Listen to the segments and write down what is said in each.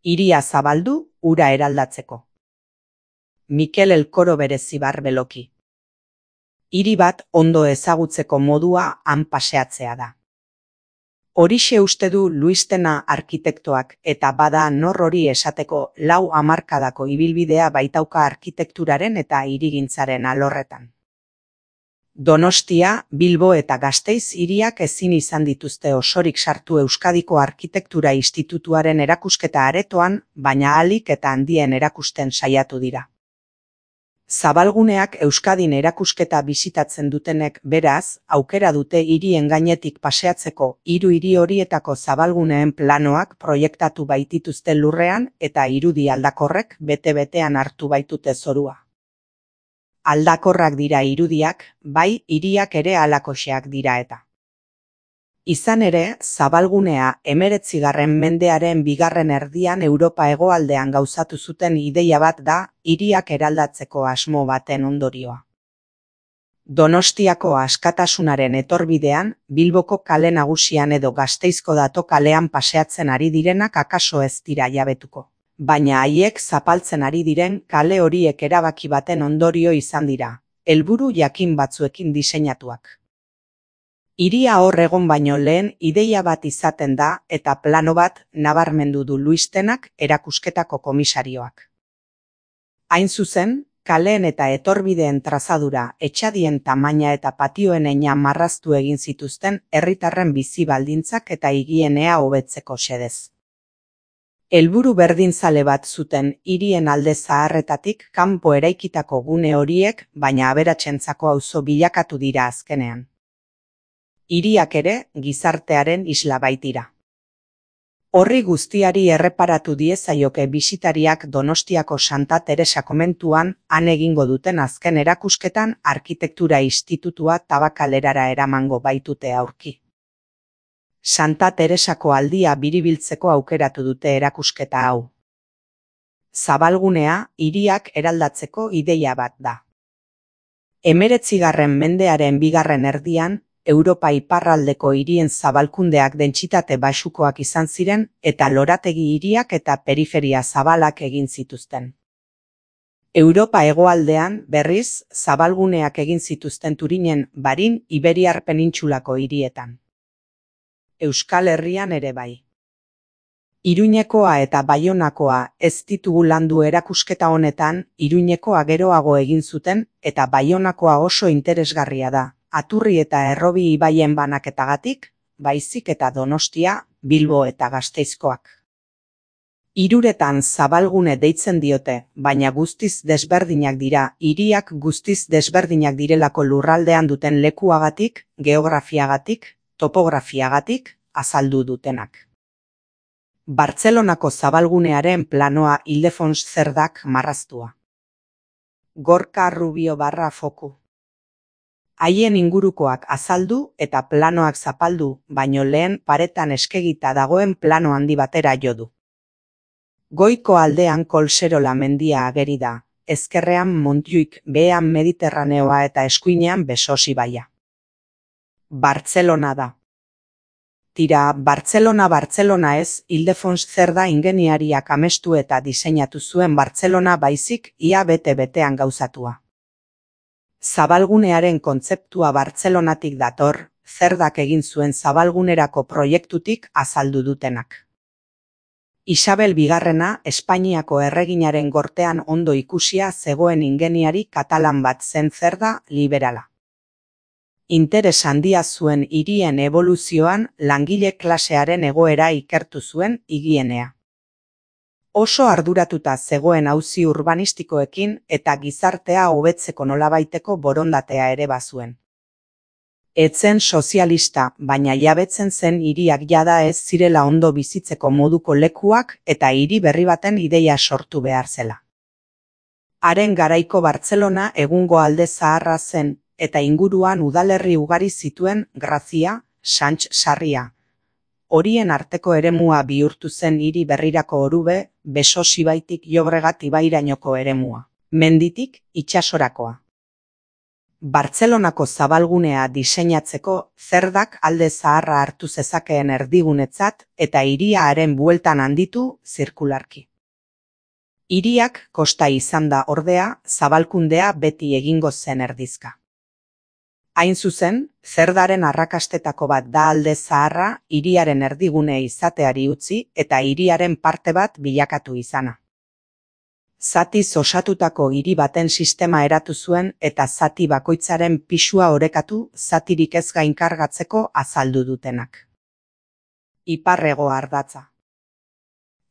Hiria zabaldu, ura eraldatzeko. Mikel Elkoro berezi Barbeloki. Hiri bat ondo ezagutzeko modua han paseatzea da. Horixe uste du Luistena arkitektoak eta bada nor hori esateko 4 hamarkadako ibilbidea baitauka arkitekturaren eta hirigintzaren alorretan. Donostia, Bilbo eta Gasteiz hiriak ezin izan dituzte osorik sartu Euskadiko Arkitektura Institutuaren erakusketa aretoan, baina ahalik eta handien erakusten saiatu dira. Zabalguneak Euskadin erakusketa bisitatzen dutenek beraz, aukera dute hirien gainetik paseatzeko 3 hiri horietako zabalguneen planoak proiektatu baitituzte lurrean eta irudi aldakorrek bete-betean hartu baitute zorua. Aldakorrak dira irudiak, bai hiriak ere halakoxeak dira eta. Izan ere, zabalgunea 19. mendearen 2. erdian Europa hegoaldean gauzatu zuten ideia bat da, hiriak eraldatzeko asmo baten ondorioa. Donostiako askatasunaren etorbidean, Bilboko kale nagusian edo Gasteizko Dato kalean paseatzen ari direnak akaso ez dira jabetuko. Baina haiek zapaltzen ari diren kale horiek erabaki baten ondorio izan dira, helburu jakin batzuekin diseinatuak. Hiria hor egon baino lehen ideia bat izaten da eta plano bat nabarmendu du Luistenak erakusketako komisarioak. Hain zuzen, kaleen eta etorbideen trazadura, etxadien tamaina eta patioen heina marraztu egin zituzten herritarren bizi baldintzak eta higienea hobetzeko xedez. Helburu berdinzale bat zuten hirien alde zaharretatik kanpo eraikitako gune horiek, baina aberatsentzako auzo bilakatu dira azkenean. Hiriak ere gizartearen isla baitira. Horri guztiari erreparatu diezaioke bisitariak Donostiako Santa Teresa komentuan han egingo duten azken erakusketan Arkitektura Institutua Tabakalerara eramango baitute aurki. Santa Teresako aldia biribiltzeko aukeratu dute erakusketa hau. Zabalgunea hiriak eraldatzeko ideia bat da. 19. mendearen 2. erdian, Europa iparraldeko hirien zabalkundeak dentsitate baxukoak izan ziren eta lorategi hiriak eta periferia zabalak egin zituzten. Europa hegoaldean, berriz, zabalguneak egin zituzten Turinen, Barin, Iberiar penintsulako hirietan. Euskal Herrian ere bai. Iruñekoa eta Baionakoa ez ditugu landu erakusketa honetan, Iruñekoa geroago egin zuten eta Baionakoa oso interesgarria da, Aturri eta Errobi ibaien banaketagatik, baizik eta Donostia, Bilbo eta Gasteizkoak. Hiruretan zabalgune deitzen diote, baina guztiz desberdinak dira, hiriak guztiz desberdinak direlako lurraldean duten lekuagatik, geografiagatik, topografiagatik, azaldu dutenak. Bartzelonako zabalgunearen planoa Ildefons Zerdak marraztua. Gorka Rubio Foku. Haien ingurukoak azaldu eta planoak zapaldu, baino lehen paretan eskegita dagoen plano handi batera jo du. Goiko aldean Kolserola mendia ageri da, ezkerrean Montjuik, behean Mediterraneoa eta eskuinean Besos ibaia. Bartzelona da. Tira, Bartzelona ez, Ildefons Zerda ingeniariak amestu eta diseinatu zuen Bartzelona baizik ia bete-betean gauzatua. Zabalgunearen kontzeptua Bartzelonatik dator, Zerdak egin zuen zabalgunerako proiektutik azaldu dutenak. Isabel Bigarrena Espainiako erreginaren gortean ondo ikusia zegoen ingeniari katalan bat zen Zerda liberala. Interes handia zuen hirien eboluzioan langile klasearen egoera ikertu zuen higienea. Oso arduratuta zegoen auzi urbanistikoekin eta gizartea hobetzeko nolabaiteko borondatea ere bazuen. Etzen sozialista, baina jabetzen zen hiriak jada ez zirela ondo bizitzeko moduko lekuak eta hiri berri baten ideia sortu behar zela. Haren garaiko Bartzelona egungo alde zaharra zen, eta inguruan udalerri ugari zituen Grazia, Sants Sarria. Horien arteko eremua bihurtu zen hiri berrirako Orube, Besos ibaitik Llobregat ibairainoko eremua, menditik itsasorakoa. Bartzelonako zabalgunea diseinatzeko zerdak alde zaharra hartu zezakeen erdigunetzat eta hiria haren bueltan handitu zirkularki. Hiriak kosta izan da ordea, zabalkundea beti egingo zen erdizka. Hain zuzen, zerdaren arrakastetako bat da alde zaharra hiriaren erdigune izateari utzi eta hiriaren parte bat bilakatu izana. Zatiz osatutako hiri baten sistema eratu zuen eta zati bakoitzaren pisua orekatu zatirik ez gainkargatzeko azaldu dutenak. Iparrego ardatza.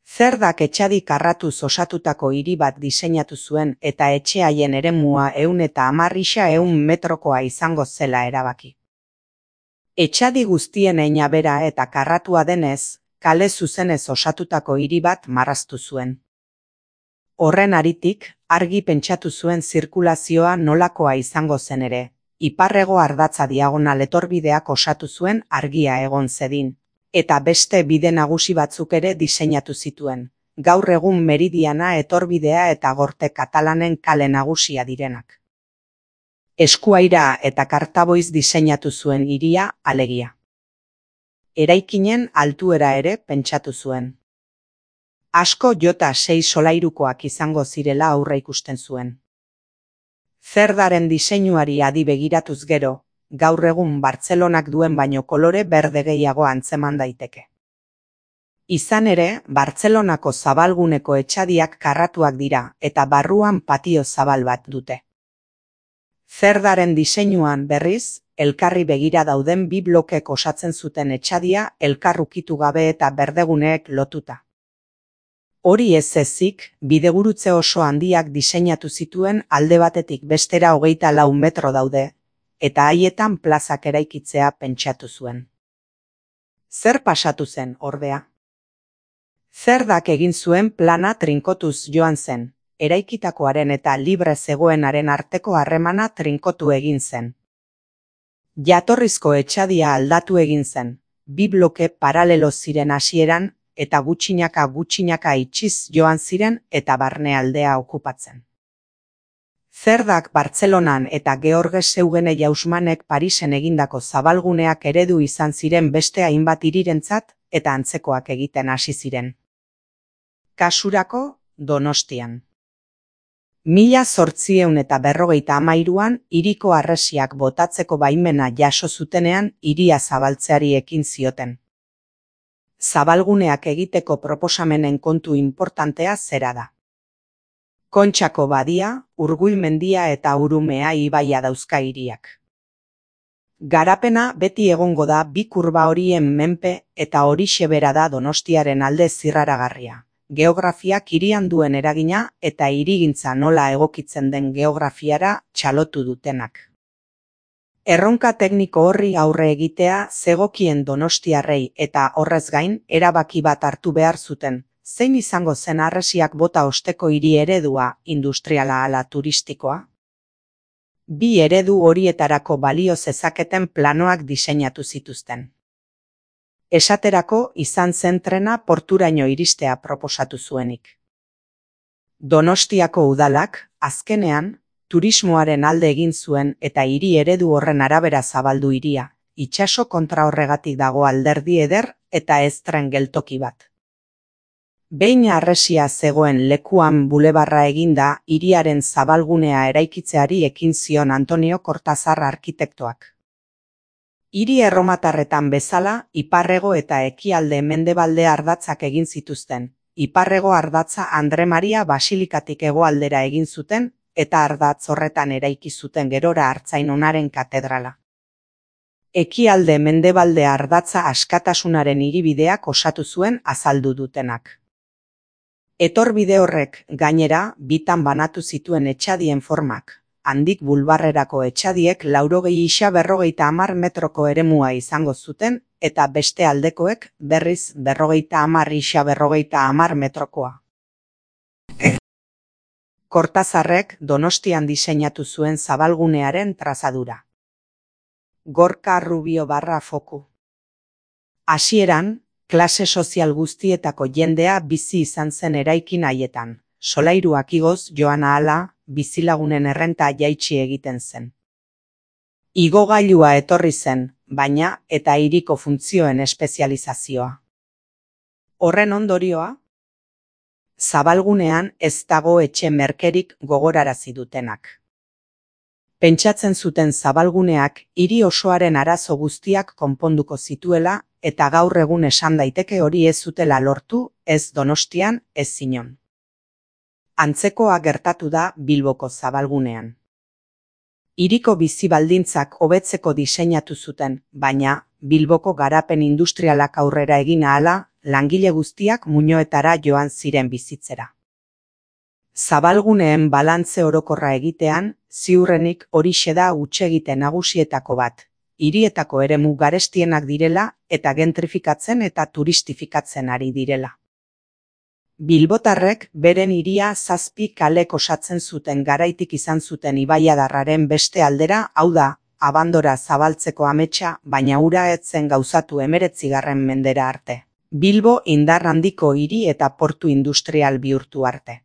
Zerdak etxadik arratuz osatutako hiri bat diseinatu zuen eta etxe haien eremua 110 metrokoa izango zela erabaki. Etxadi guztien eina bera eta karratua denez, kale zuzenez osatutako hiri bat marraztu zuen. Horren haritik, argi pentsatu zuen zirkulazioa nolakoa izango zen ere, iparrego ardatza diagonal etorbideak osatu zuen argia egon zedin, eta beste bide nagusi batzuk ere diseinatu zituen, gaur egun Meridiana etorbidea eta Gorte Katalanen kale nagusia direnak. Eskuaira eta Kartaboiz diseinatu zuen hiria alegia. Eraikinen altuera ere pentsatu zuen. Asko jota 6 solairukoak izango zirela aurreikusten zuen. Zerdaren diseinuari adi begiratuz gero, gaur egun Bartzelonak duen baino kolore berde gehiago antzeman daiteke. Izan ere, Bartzelonako zabalguneko etxadiak karratuak dira eta barruan patio zabal bat dute. Zerdaren diseinuan berriz, elkarri begira dauden bi blokek osatzen zuten etxadia elkar ukitu gabe eta berdeguneek lotuta. Hori ez ezik, bidegurutze oso handiak diseinatu zituen alde batetik bestera 24 metro daude, eta haietan plazak eraikitzea pentsatu zuen. Zer pasatu zen, ordea? Zerdak egin zuen plana trinkotuz joan zen, eraikitakoaren eta libre zegoenaren arteko harremana trinkotu egin zen. Jatorrizko etxadia aldatu egin zen, bi bloke paralelo ziren hasieran, eta gutxinaka itxiz joan ziren eta barnealdea okupatzen. Zerdak Bartzelonan eta Georges Eugene Jausmanek Parisen egindako zabalguneak eredu izan ziren beste hainbat hirirentzat eta antzekoak egiten hasi ziren. Kasurako, Donostian. 1853an hiriko harresiak botatzeko baimena jaso zutenean hiria zabaltzeari ekin zioten. Zabalguneak egiteko proposamenen kontu inportantea zera da. Kontxako badia, Urgull mendia eta Urumea ibaia dauzka hiriak. Garapena beti egongo da bi kurba horien menpe eta horixe bera da Donostiaren alde zirraragarria. Geografiak hirian duen eragina eta hirigintza nola egokitzen den geografiara txalotu dutenak. Erronka tekniko horri aurre egitea zegokien donostiarrei eta horrez gain erabaki bat hartu behar zuten, zein izango zen harresiak bota osteko hiri eredua, industriala ala turistikoa? Bi eredu horietarako balio zezaketen planoak diseinatu zituzten. Esaterako izan zen trena porturaino iristea proposatu zuenik. Donostiako udalak, azkenean, turismoaren alde egin zuen eta hiri eredu horren arabera zabaldu hiria, itsaso kontra horregatik dago alderdi eder eta ez tren geltoki bat. Behin harresia zegoen lekuan bulebarra eginda hiriaren zabalgunea eraikitzeari ekin zion Antonio Cortazar arkitektoak. Hiri erromatarretan bezala, iparrego eta ekialde mendebalde ardatzak egin zituzten. Iparrego ardatza Andre Maria Basilikatik hegoaldera egin zuten, eta ardatz horretan eraiki zuten gerora Artzainonaren katedrala. Ekialde mendebalde ardatza Askatasunaren hiribideak osatu zuen azaldu dutenak. Etorbide horrek, gainera, bitan banatu zituen etxadien formak. Handik bulbarrerako etxadiek 40-50 metroko eremua izango zuten, eta beste aldekoek berriz 40-50 metrokoa. Cortazarrek Donostian diseinatu zuen zabalgunearen trazadura. Gorka Rubio barra foku. Hasieran, klase sozial guztietako jendea bizi izan zen eraikin haietan. Solairuak igoz joan ahala, bizilagunen errenta jaitsi egiten zen. Igogailua etorri zen, baina eta hiriko funtzioen espezializazioa. Horren ondorioa, zabalgunean ez dago etxe merkerik gogorarazi dutenak. Pentsatzen zuten zabalguneak hiri osoaren arazo guztiak konponduko zituela eta gaur egun esan daiteke hori ez zutela lortu, ez Donostian, ez inon. Antzekoa gertatu da Bilboko zabalgunean. Hiriko bizi baldintzak hobetzeko diseinatu zuten, baina Bilboko garapen industrialak aurrera egin ahala, langile guztiak muinoetara joan ziren bizitzera. Zabalguneen balantze orokorra egitean, ziurrenik horixe da hutsegite nagusietako bat, hirietako eremu garestienak direla eta gentrifikatzen eta turistifikatzen ari direla. Bilbotarrek beren hiria 7 kalek osatzen zuten garaitik izan zuten ibaiadarraren beste aldera, hau da, abandora zabaltzeko ametsa, baina hura ez zen gauzatu 19. mendera arte. Bilbo indar handiko hiri eta portu industrial bihurtu arte.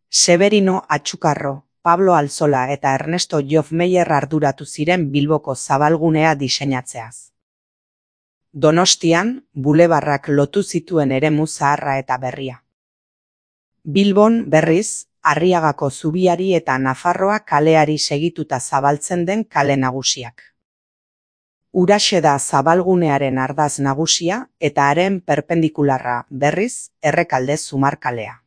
Severino Atxukarro, Pablo Alzola eta Ernesto Jofmeyer arduratu ziren Bilboko zabalgunea diseinatzeaz. Donostian, bulebarrak lotu zituen eremu zaharra eta berria. Bilbon, berriz, Arriagako zubiari eta Nafarroa kaleari segituta zabaltzen den kale nagusiak. Huraxe da zabalgunearen ardaz nagusia eta haren perpendikularra, berriz, Errekalde Zumarkalea.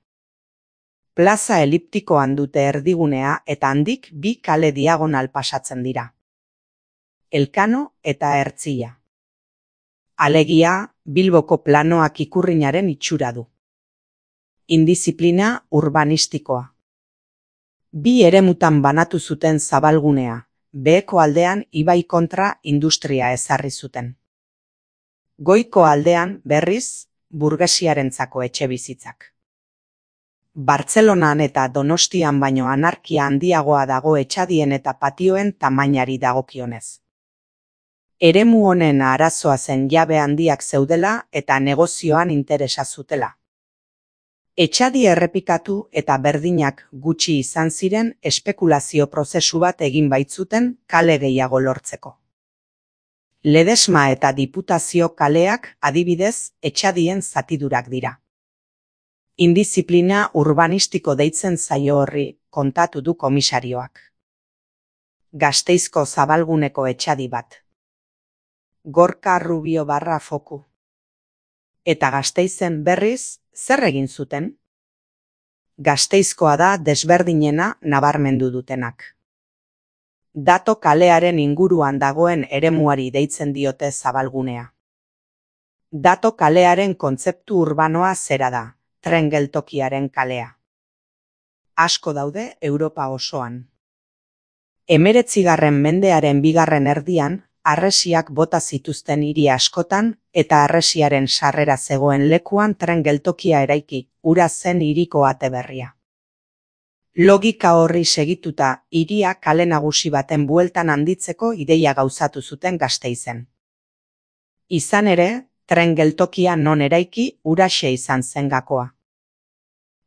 Plaza eliptikoan dute erdigunea eta handik 2 kale diagonal pasatzen dira. Elkano eta Ertzilla. Alegia, Bilboko planoak ikurrinaren itxura du. Indiziplina urbanistikoa. 2 eremutan banatu zuten zabalgunea, beheko aldean ibai kontra industria ezarri zuten. Goiko aldean, berriz, burgesiarentzako etxebizitzak. Bartzelonan eta Donostian baino anarkia handiagoa dago etxadien eta patioen tamainari dagokionez. Eremu honen arazoa zen jabe handiak zeudela eta negozioan interesa zutela. Etxadi errepikatu eta berdinak gutxi izan ziren espekulazio prozesu bat egin baitzuten kale gehiago lortzeko. Ledesma eta Diputazio kaleak adibidez etxadien zatidurak dira. Indiziplina urbanistiko deitzen zaio horri, kontatu du komisarioak. Gasteizko zabalguneko etxadi bat. Gorka Rubio barra foku. Eta Gasteizen berriz, zer egin zuten? Gasteizkoa da desberdinena nabarmendu dutenak. Dato kalearen inguruan dagoen eremuari deitzen diote zabalgunea. Dato kalearen kontzeptu urbanoa zera da. Tren geltokiaren kalea. Asko daude Europa osoan. 19. mendearen 2. erdian, harresiak bota zituzten hiri askotan eta harresiaren sarrera zegoen lekuan tren geltokia eraiki, hura zen hiriko ate berria. Logika horri segituta, hiria kale nagusi baten bueltan handitzeko ideia gauzatu zuten Gasteizen. Izan ere, tren geltokia non eraiki huraxe izan zen gakoa.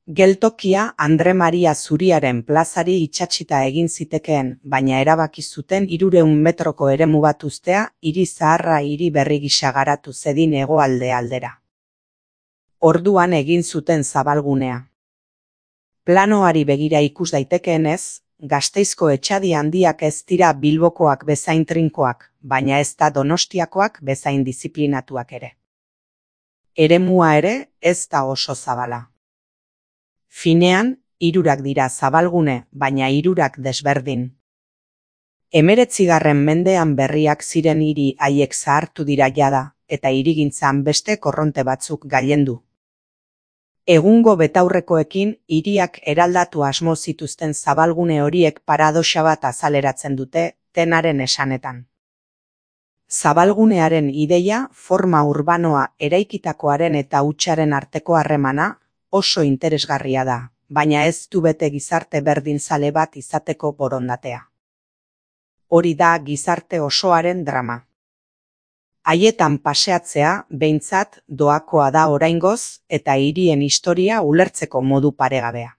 Geltokia Andre Maria Zuriaren plazari itsatsita egin zitekeen, baina erabaki zuten 300 metroko eremu bat uztea hiri zaharra hiri berri gisa garatu zedin hegoalde aldera. Orduan egin zuten zabalgunea. Planoari begira ikus daitekeenez, Gasteizko etxadi handiak ez dira Bilbokoak bezain trinkoak, baina ez da Donostiakoak bezain diziplinatuak ere. Eremua ere ez da oso zabala. Finean, 3 dira zabalgune, baina 3 desberdin. 19. mendean berriak ziren hiri haiek zahartu dira jada, eta hirigintzan beste korronte batzuk gailendu. Egungo betaurrekoekin hiriak eraldatu asmo zituzten zabalgune horiek paradoxa bat azaleratzen dute, tenaren esanetan. Zabalgunearen ideia, forma urbanoa eraikitakoaren eta hutsaren arteko harremana, oso interesgarria da, baina ez du bete gizarte berdinzale bat izateko borondatea. Hori da gizarte osoaren drama. Haietan paseatzea, behintzat, doakoa da oraingoz, eta hirien historia ulertzeko modu paregabea.